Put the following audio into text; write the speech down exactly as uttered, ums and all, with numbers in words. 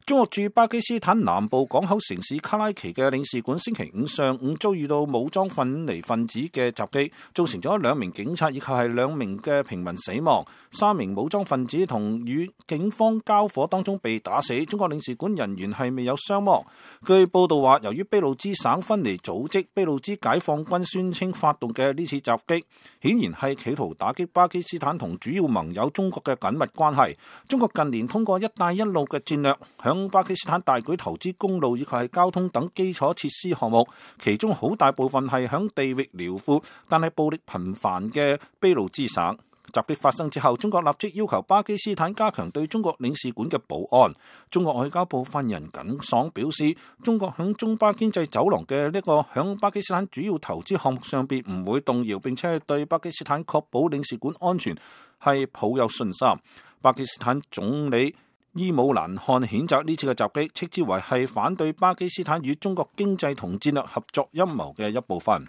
中國駐巴基斯坦南部港口城市卡拉奇嘅領事館星期五上午遭遇到武裝分離分子嘅襲擊，造成咗兩名警察以及係兩名嘅平民死亡，三名武裝分子同與警方交火當中被打死。中國領事館人員係未有傷亡。據報道話，由於俾路支省分離組織俾路支解放軍宣稱發動嘅呢次襲擊，顯然係企圖打擊巴基斯坦同主要盟友中國嘅緊密關係。中國近年通過一帶一路嘅戰略，響巴基斯坦大舉投資公路以及係交通等基礎設施項目，其中好大部分係響地域遼闊但係暴力頻繁嘅俾路支省。襲擊發生之後，中國立即要求巴基斯坦加強對中國領事館嘅保安。中國外交部發言人耿爽表示，中國響中巴經濟走廊嘅呢個響巴基斯坦主要投資項目上邊唔會動搖，並且係對巴基斯坦確保領事館安全係抱有信心。巴基斯坦總理伊姆蘭汗譴責呢次嘅襲擊，斥之為係反對巴基斯坦與中國經濟同戰略合作陰謀嘅一部分。